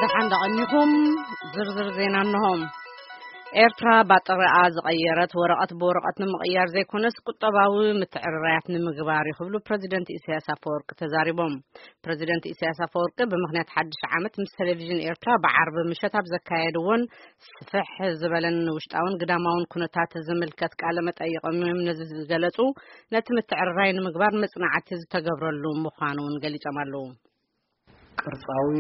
ደሓን ደቐኒኹም። ዝርዝር ዜና እንሆ። ኤርትራ ባጥሪኣ ዝቐየረት ወረቐት ብወረቐት ንምቕያር ዘይኮነስ ቁጠባዊ ምትዕርራያት ንምግባር እዩ ክብሉ ፕረዚደንት ኢሳያስ ኣፈወርቂ ተዛሪቦም። ፕረዚደንት ኢሳያስ ኣፈወርቂ ብምኽንያት ሓድሽ ዓመት ምስ ቴሌቪዥን ኤርትራ ብዓርቢ ምሸት ኣብ ዘካየድዎን ስፍሕ ዝበለን ውሽጣውን ግዳማውን ኩነታት ዝምልከት ቃለ መጠይቖም እዮም ነዚ ዝገለጹ። ነቲ ምትዕርራይ ንምግባር መጽናዕቲ ዝተገብረሉ ምዃኑ እውን ገሊጾም ኣለዉ። ቅርጻዊ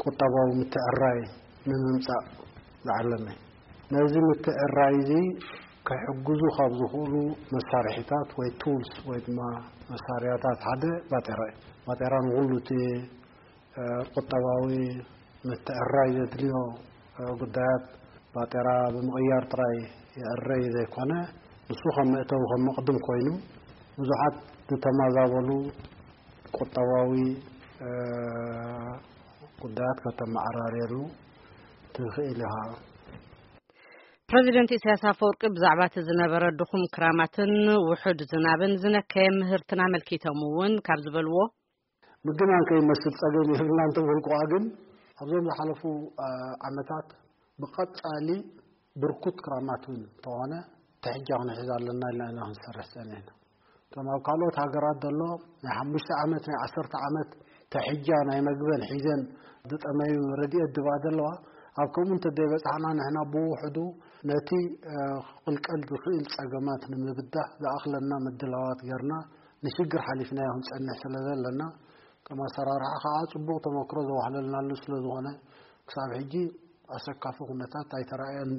ቁጠባዊ ምትዕርራይ ንምምጻእ ዝዓለመ። ነዚ ምትዕርራይ እዚ ክሕግዙ ካብ ዝኽእሉ መሳርሒታት ወይ ቱልስ ወይ ድማ መሳርያታት ሓደ ባጤራ እዩ። ባጤራ ንኹሉ እቲ፣ እ፣ ቁጠባዊ ምትዕርራይ ዘድልዮ፣ እ፣ ጉዳያት ባጤራ ብምቕያር ጥራይ ይዕረይ ዘይኮነ፣ ንሱ ከም መእተዊ ከም መቕድም ኮይኑ ብዙሓት ዝተመዛበሉ ቁጠባዊ፣ እ፣ ጉዳያት ከተመዓራርየሉ ትኽእል ኢኻ። ፕረዚደንት ኢሳያስ ኣፈወርቂ ብዛዕባ እቲ ዝነበረ ድኹም ክራማትን ውሑድ ዝናብን ዝነከየ ምህርትን ኣመልኪቶም እውን ካብ ዝበልዎ፣ ምግናን ከይመስል ጸገም የብልናን እንተበልኩዋ ግን ኣብዞም ዝሓለፉ፣ እ፣ ዓመታት ብቐጻሊ ብርኩት ክራማት እውን እንተኾነ ትሕጃ ክንሕዝ ኣለና ኢልና ኢና ክንሰርሕ ጸኒሕና። እቶም ኣብ ካልኦት ሃገራት ዘሎ ናይ ሓሙሽተ ዓመት፣ ናይ ዓሰርተ ዓመት ተሕጃ ናይ መግበን ሒዘን ዝጠመዩ ረድኤት ድባ ዘለዋ፣ ኣብ ከምኡ እንተደይበጻሕና ንሕና ብውሕዱ ነቲ፣ እ፣ ክቕልቀል ዝኽእል ጸገማት ንምብዳህ ዝኣኽለና ምድላዋት ጌርና ንሽግር ሓሊፍናዮ ክንጸንሕ ስለ ዘለና፣ ከም ኣሰራርሓ ከኣ ጽቡቕ ተመክሮ ዘዋህለልናሉ ስለ ዝኾነ፣ ክሳብ ሕጂ ኣሰካፊ ኩነታት ኣይተራእየን።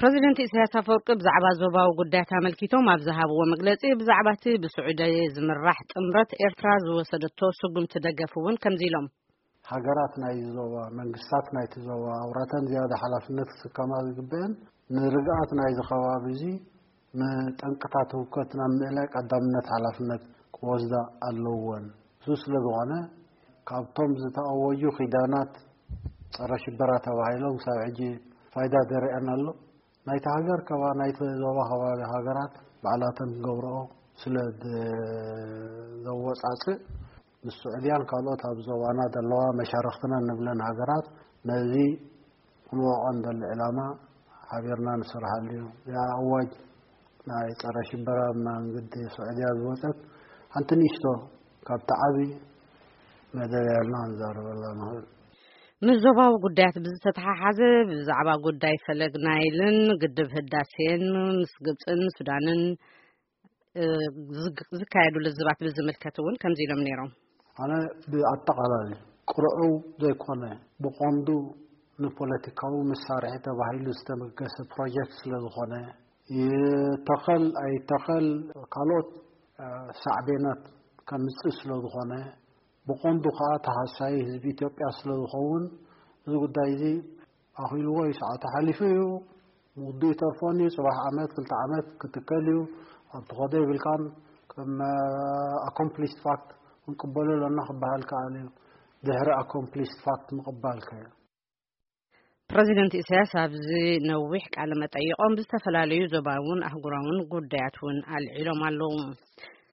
ፕረዚደንት ኢሳያስ ኣፈወርቂ ብዛዕባ ዞባዊ ጉዳያት ኣመልኪቶም ኣብ ዝሃብዎ መግለጺ፣ ብዛዕባ እቲ ብስዑዲ ዝምራሕ ጥምረት ኤርትራ ዝወሰደቶ ስጉምቲ ደገፍ እውን ከምዚ ኢሎም። ሃገራት ናይዚ ዞባ፣ መንግስታት ናይቲ ዞባ፣ ኣውራተን ዝያዳ ሓላፍነት ክስከማ ዝግበአን ንርግኣት ናይዚ ከባቢ እዚ ንጠንቅታት ህውከት ናብ ምእላይ ቀዳምነት ሓላፍነት ክወስዳ ኣለወን። እሱ ስለ ዝኾነ፣ ካብቶም ዝተኣወጁ ኪዳናት ጸረ ሽበራ ተባሂሎም ክሳብ ሕጂ ፋይዳ ደሪኣን ኣሎ። ናይቲ ሃገር ከባ-፣ ናይቲ ዞባ ከባቢ ሃገራት ባዕላተን ክገብርኦ ስለ ድ-፣ ዘወጻጽእ፣ ምስ ስዑድያን ካልኦት ኣብ ዞባና ዘለዋ መሻርኽትና እንብለን ሃገራት ነዚ ክንወቕዖ እንደሊ ዕላማ ሓቢርና ንሰርሓሉ እዩ። እዚኣ ኣዋጅ ናይ ጸረ ሽበራ መንግዲ ስዑድያ ዝወጸት ሓንቲ ንእሽቶ ካብቲ ዓቢ መደብ እያ ኢልና ክንዛረበላ ንኽእል። ምስ ዞባዊ ጉዳያት ብዝተተሓሓዘ ብዛዕባ ጉዳይ ፈለግ ናይልን ግድብ ህዳሴን ምስ ግብጽን ሱዳንን፣ እ፣ ዝግ-፣ ዝካየዱ ልዝባት ብዝምልከት እውን ከምዚ ኢሎም ነይሮም። ኣነ ብኣጠቓላሊ ቅርዑው ዘይኮነ ብቐንዱ ንፖለቲካዊ መሳርሒ ተባሂሉ ዝተበገሰ ፕሮጀክት ስለ ዝኾነ፣ ይተኸል ኣይተኸል ካልኦት፣ እ፣ ሳዕቤናት ከምጽእ ስለ ዝኾነ፣ ብቐንዱ ከኣ ተሃሳዪ ህዝቢ ኢትዮጵያ ስለ ዝኸውን፣ እዚ ጉዳይ እዚ ኣኺልዎ እዩ፣ ሰዓቱ ሓሊፉ እዩ፣ ምውድኡ ይተርፎን እዩ፣ ጽባሕ ዓመት፣ ክልተ ዓመት ክትከል እዩ፣ ኣብ ትኸዶ ይብልካን፣ ከም፣ እ፣ ኣኮምፕሊስድ ፋክት ክንቅበሎ ኣለና ክበሃል ከኣል እዩ። ድሕሪ ኣኮምፕሊስድ ፋክት ምቕባል ከ? ፕረዚደንት ኢሳያስ ኣብዚ ነዊሕ ቃለ መጠይቖም ብዝተፈላለዩ ዞባውን ኣህጉራውን ጉዳያት እውን ኣልዒሎም ኣለዉ።